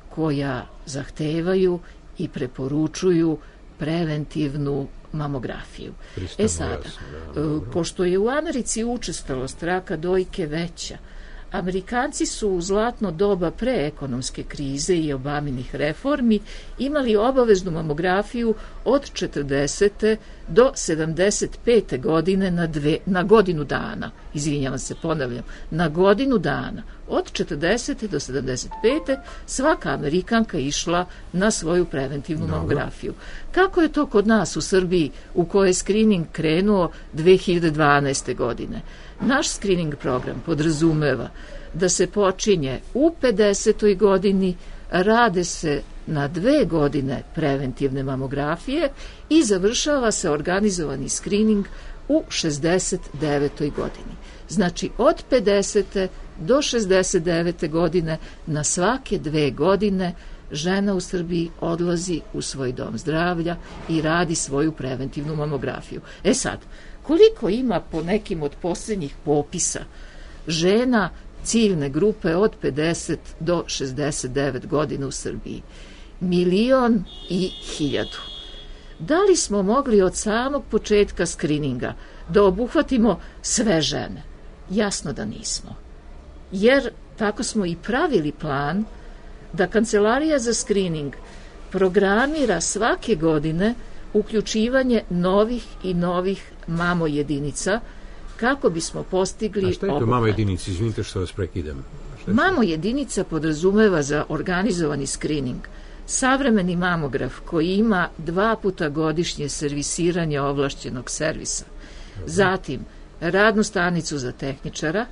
Speaker 2: koja zahtevaju i preporučuju preventivnu mamografiju. Sada, pošto je u Americi učestalost raka dojke veća, Amerikanci su u zlatno doba pre ekonomske krize i Obaminih reformi imali obaveznu mamografiju od 40. do 75. godine na godinu dana. Izvinjavam se, ponavljam, na godinu dana. Od 40. do 75. svaka Amerikanka išla na svoju preventivnu mamografiju. Kako je to kod nas u Srbiji, u kojoj je screening krenuo 2012. godine? Naš screening program podrazumeva da se počinje u 50. godini, rade se na 2 godine preventivne mamografije i završava se organizovani screening u 69. godini. Znači, od 50. do 69. godine na svake 2 godine žena u Srbiji odlazi u svoj dom zdravlja i radi svoju preventivnu mamografiju. Sad, koliko ima po nekim od posljednjih popisa žena ciljne grupe od 50 do 69 godina u Srbiji? 1.100.000. Da li smo mogli od samog početka skrininga da obuhvatimo sve žene? Jasno da nismo. Jer tako smo i pravili plan da Kancelarija za skrining programira svake godine uključivanje novih i novih mamo jedinica kako bismo postigli...
Speaker 4: A šta je to mamo jedinica? Izvinite što vas prekidam.
Speaker 2: Mamo jedinica podrazumeva za organizovani skrining savremeni mamograf koji ima 2 puta godišnje servisiranje ovlašćenog servisa. Zatim, radnu stanicu za tehničara,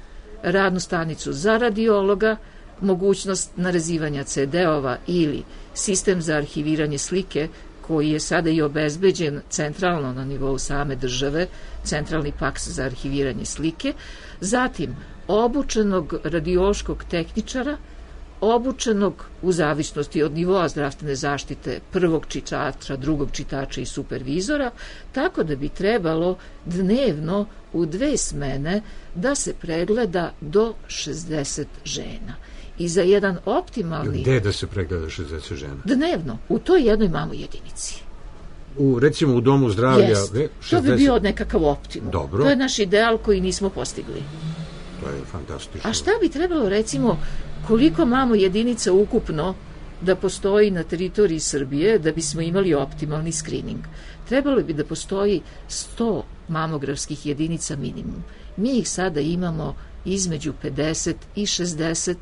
Speaker 2: radnu stanicu za radiologa, mogućnost narezivanja CD-ova ili sistem za arhiviranje slike koji je sada i obezbeđen centralno na nivou same države, centralni faks za arhiviranje slike, zatim obučenog radiološkog tehničara, obučenog u zavisnosti od nivoa zdravstvene zaštite prvog čitača, drugog čitača i supervizora, tako da bi trebalo dnevno u 2 smene da se pregleda do 60 žena. I za jedan optimalni...
Speaker 4: Gde da se pregleda 60 žena?
Speaker 2: Dnevno, u toj jednoj mamo jedinici.
Speaker 4: Recimo u domu zdravlja...
Speaker 2: Jest, 60... to bi bio nekakav optimum.
Speaker 4: Dobro.
Speaker 2: To je naš ideal koji nismo postigli.
Speaker 4: To je fantastično.
Speaker 2: A šta bi trebalo, recimo, koliko mamo jedinica ukupno da postoji na teritoriji Srbije da bismo imali optimalni skrining? Trebalo bi da postoji 100 mamografskih jedinica minimum. Mi ih sada imamo između 50 i 60,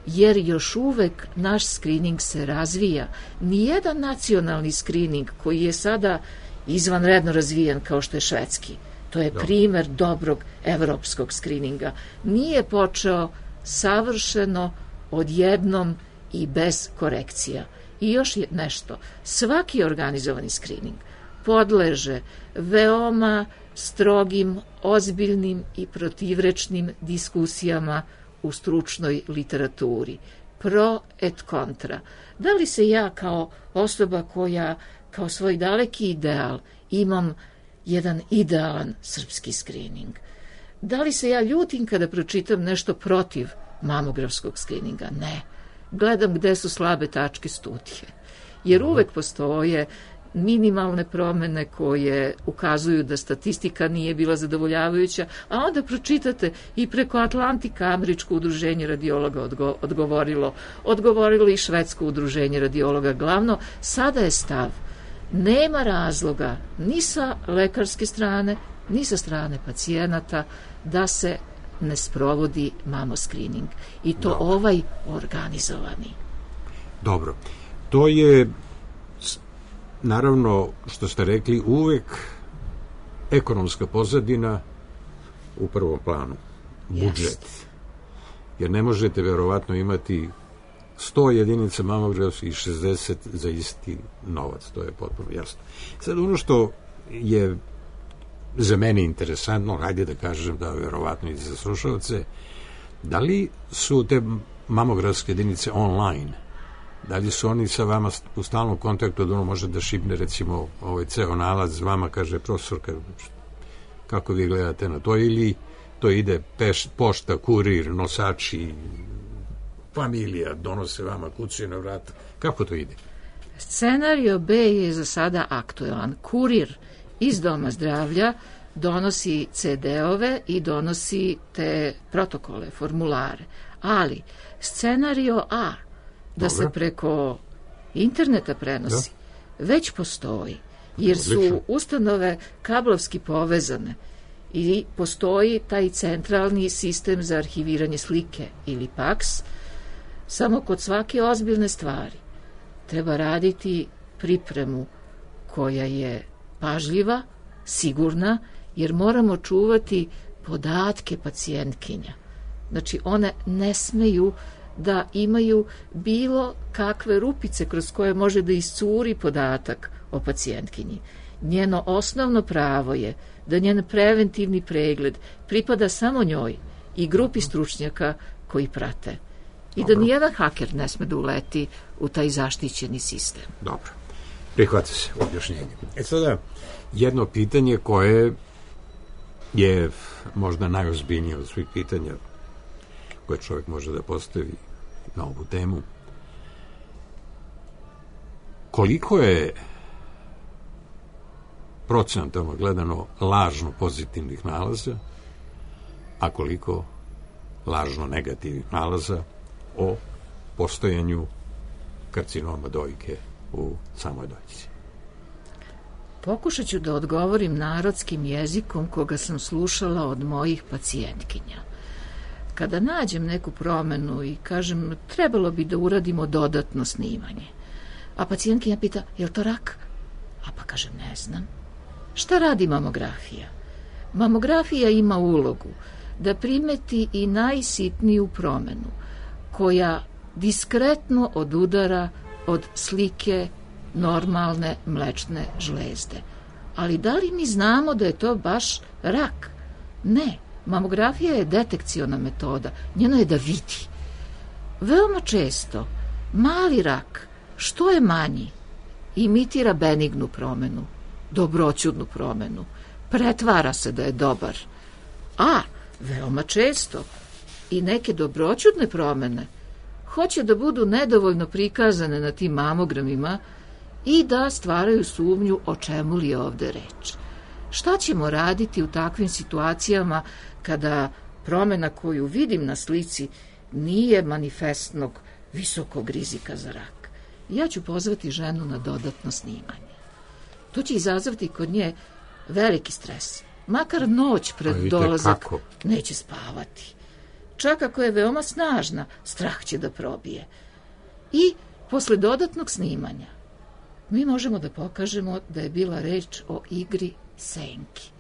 Speaker 2: jer još uvek naš skrining se razvija. Nijedan nacionalni skrining koji je sada izvanredno razvijen kao što je švedski, to je primer dobrog evropskog skrininga, nije počeo savršeno odjednom i bez korekcija. I još je nešto, svaki organizovani skrining podleže veoma strogim, ozbiljnim i protivrečnim diskusijama u stručnoj literaturi. Pro et contra. Da li se ja kao osoba koja kao svoj daleki ideal imam jedan idealan srpski skrining? Da li se ja ljutim kada pročitam nešto protiv mamografskog skrininga? Ne. Gledam gde su slabe tačke studije. Jer uvek postoje minimalne promene koje ukazuju da statistika nije bila zadovoljavajuća, a onda pročitate i preko Atlantika Američko udruženje radiologa odgovorilo i Švedsko udruženje radiologa. Glavno, sada je stav, nema razloga ni sa lekarske strane, ni sa strane pacijenata da se ne sprovodi mamoskrining. I to ovaj organizovani.
Speaker 4: Dobro. To je, naravno, što ste rekli, uvek ekonomska pozadina u prvom planu. Budžet. Jer ne možete verovatno imati 100 jedinica mamografskih i 60 za isti novac. To je potpuno jasno. Sad ono što je za mene interesantno, hajde da kažem da verovatno i za slušalce, da li su te mamografske jedinice online? Da li su oni sa vama u stalnom kontaktu, da ono može da šipne recimo ceo nalaz vama, kaže profesorka, kako vi gledate na to, ili to ide pošta, kurir, nosači, familija, donose vama, kucaju na vrata, kako to ide?
Speaker 2: Scenario B je za sada aktualan. Kurir iz Doma zdravlja donosi CD-ove i donosi te protokole, formulare. Ali scenario A, da se preko interneta prenosi, već postoji, jer su ustanove kablovski povezane i postoji taj centralni sistem za arhiviranje slike ili PAX. Samo kod svake ozbiljne stvari treba raditi pripremu koja je pažljiva, sigurna, jer moramo čuvati podatke pacijentkinja. Znači, one ne smeju da imaju bilo kakve rupice kroz koje može da iscuri podatak o pacijentkinji. Njeno osnovno pravo je da njen preventivni pregled pripada samo njoj i grupi stručnjaka koji prate. I da nijedan haker ne sme da uleti u taj zaštićeni sistem.
Speaker 4: Dobro. Prihvata se objašnjenje. Sada, jedno pitanje koje je možda najozbiljnije od svih pitanja koje čovjek može da postavi na ovu temu. Koliko je procentalno gledano lažno pozitivnih nalaza, a koliko lažno negativnih nalaza o postojanju karcinoma dojke u samoj dojci?
Speaker 2: Pokušat ću da odgovorim narodskim jezikom koga sam slušala od mojih pacijentkinja. Kada nađem neku promenu i kažem trebalo bi da uradimo dodatno snimanje, a pacijentkinja pita je li to rak? A pa kažem ne znam. Šta radi mamografija? Mamografija ima ulogu da primeti i najsitniju promenu koja diskretno odudara od slike normalne mlečne žlezde. Ali da li mi znamo da je to baš rak? Ne. Mamografija je detekciona metoda. Njeno je da vidi. Veoma često mali rak, što je manji, imitira benignu promenu, dobroćudnu promenu. Pretvara se da je dobar. A, veoma često, i neke dobroćudne promene hoće da budu nedovoljno prikazane na tim mamogramima i da stvaraju sumnju o čemu li je ovde reč. Šta ćemo raditi u takvim situacijama kada promena koju vidim na slici nije manifestnog visokog rizika za rak? Ja ću pozvati ženu na dodatno snimanje. To će izazvati kod nje veliki stres. Makar noć pred dolazak neće spavati. Čak ako je veoma snažna, strah će da probije. I posle dodatnog snimanja mi možemo da pokažemo da je bila reč o igri senki.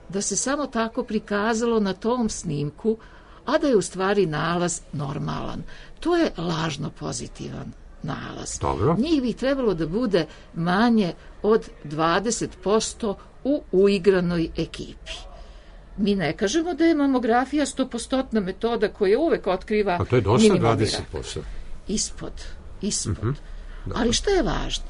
Speaker 2: Da se samo tako prikazalo na tom snimku, a da je u stvari nalaz normalan. To je lažno pozitivan nalaz.
Speaker 4: Dobro.
Speaker 2: Njih bi trebalo da bude manje od 20% u uigranoj ekipi.
Speaker 3: Mi ne kažemo da je mamografija 100% metoda koja uvek otkriva
Speaker 4: a to je dosta
Speaker 3: minimalni
Speaker 4: 20%.
Speaker 3: Ispod. Ali šta je važno?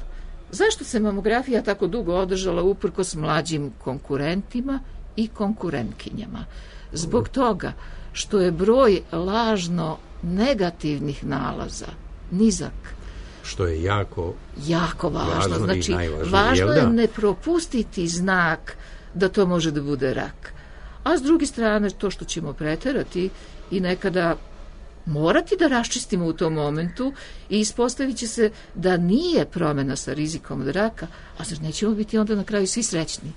Speaker 3: Zašto se mamografija tako dugo održala uprkos mlađim konkurentima i konkurentkinjama? Zbog toga što je broj lažno negativnih nalaza nizak.
Speaker 4: Što je jako
Speaker 3: važno. Znači,
Speaker 4: najvažnije.
Speaker 3: Važno je ne propustiti znak da to može da bude rak. A s druge strane, to što ćemo preterati i nekada morati da raščistimo u tom momentu i ispostavit će se da nije promena sa rizikom od raka, a zar nećemo biti onda na kraju svi srećni?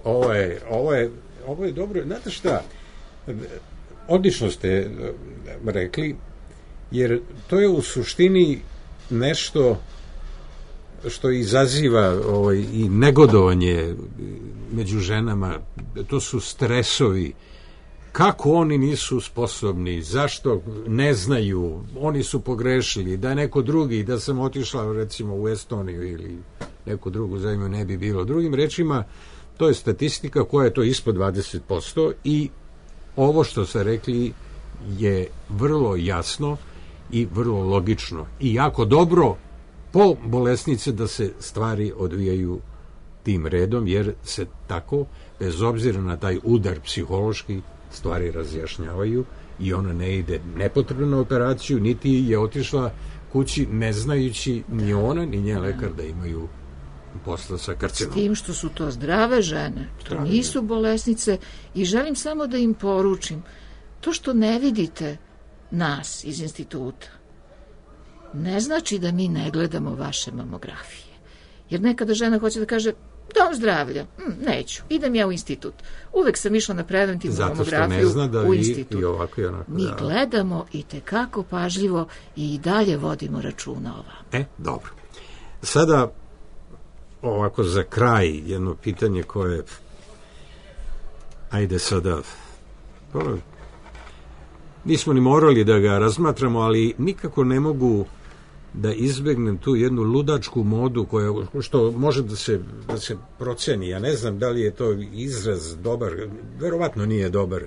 Speaker 4: Ovo je dobro. Znate šta? Odlično ste rekli, jer to je u suštini nešto što izaziva i negodovanje među ženama. To su stresovi. Kako oni nisu sposobni, zašto ne znaju, oni su pogrešili, da je neko drugi, da sam otišla recimo u Estoniju ili neku drugu zemlju ne bi bilo. Drugim rečima, to je statistika koja je to ispod 20% i ovo što ste rekli je vrlo jasno i vrlo logično i jako dobro po bolesnice da se stvari odvijaju tim redom, jer se tako, bez obzira na taj udar psihološki, stvari razjašnjavaju i ona ne ide nepotrebno na operaciju, niti je otišla kući ne znajući ni ona ni njen lekar da imaju posla sa karcinom.
Speaker 3: S tim što su to zdrave žene, to nisu bolesnice i želim samo da im poručim, to što ne vidite nas iz instituta ne znači da mi ne gledamo vaše mamografije. Jer nekada žena hoće da kaže dom zdravlja, neću, idem ja u institut. Uvek sam išla na preventivnu mamografiju u institut. Mi gledamo i tekako pažljivo i dalje vodimo računa o vam.
Speaker 4: Dobro. Sada, ovako za kraj, jedno pitanje koje ajde sada nismo ni morali da ga razmatramo, ali nikako ne mogu da izbegnem tu jednu ludačku modu što može da se proceni. Ja ne znam da li je to izraz dobar, verovatno nije dobar.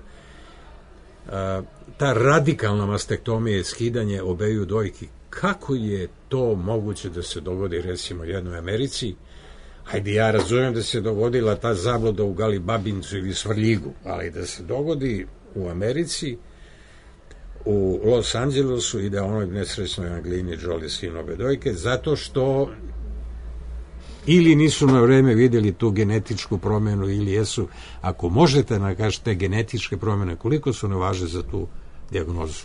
Speaker 4: Ta radikalna mastektomija i skidanje obeju dojki, kako je to moguće da se dogodi recimo jednoj Americi? Hajde, ja razumijem da se dogodila ta zabluda u Galibabincu ili Svrljigu, ali da se dogodi u Americi, u Los Angelesu i da onoj nesrećnoj Angelini Jolie skinu obe dojke, zato što ili nisu na vreme vidjeli tu genetičku promjenu ili jesu. Ako možete nakažete te genetičke promjene, koliko su ne važe za tu dijagnozu?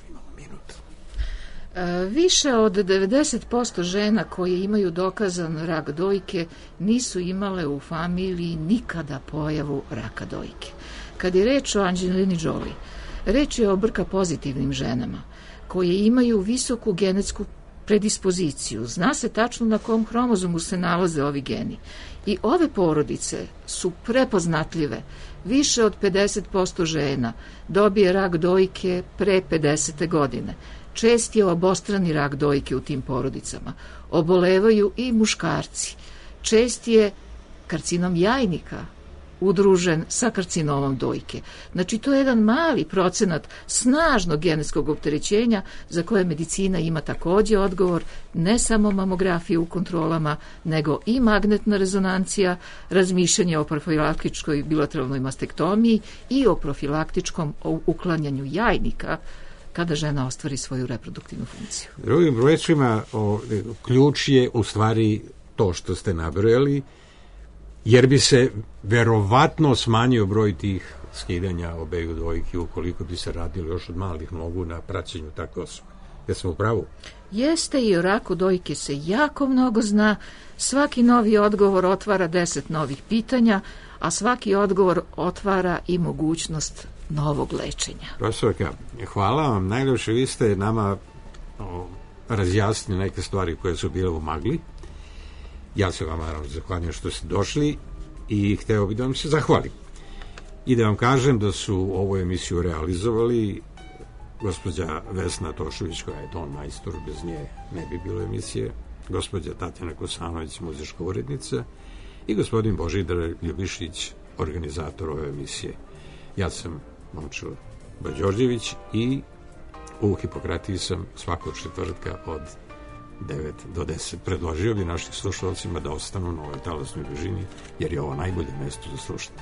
Speaker 3: Više od 90% žena koje imaju dokazan rak dojke nisu imale u familiji nikada pojavu raka dojke. Kad je reč o Angelini Jolie, reč je o BRCA pozitivnim ženama koje imaju visoku genetsku predispoziciju. Zna se tačno na kom hromozomu se nalaze ovi geni. I ove porodice su prepoznatljive. Više od 50% žena dobije rak dojke pre 50. godine. Čest je obostrani rak dojke u tim porodicama. Obolevaju i muškarci. Čest je karcinom jajnika udružen sa karcinomom dojke. Znači, to je jedan mali procenat snažnog genetskog opterećenja za koje medicina ima takođe odgovor, ne samo mamografije u kontrolama, nego i magnetna rezonancija, razmišljanje o profilaktičkoj bilateralnoj mastektomiji i o profilaktičkom uklanjanju jajnika kada žena ostvari svoju reproduktivnu funkciju.
Speaker 4: Drugim rečima, ključ je u stvari to što ste nabrojali, jer bi se verovatno smanjio broj tih skidanja obeju dojki ukoliko bi se radilo još od malih nogu na praćenju takve osobe. Jesmo u pravu?
Speaker 3: Jeste, i o raku dojke se jako mnogo zna. Svaki novi odgovor otvara 10 novih pitanja, a svaki odgovor otvara i mogućnost novog lečenja.
Speaker 4: Profesorka, hvala vam. Najljepše, vi ste nama razjasnili neke stvari koje su bile u magli. Ja se vam naravno zahvaljujem što ste došli i hteo bih da vam se zahvalim. I da vam kažem da su ovu emisiju realizovali gospođa Vesna Tošović, koja je ton majstor, bez nje ne bi bilo emisije, gospođa Tatjana Kosanović, muzička urednica, i gospodin Božidar Ljubišić, organizator ove emisije. Ja sam Momčilo Bađorđević i u Hipokratiji sam svakog četvrtka od 9 do 10. Predložio bi našim slušalcima da ostanu na ovoj talasnoj dužini, jer je ovo najbolje mesto za slušanje.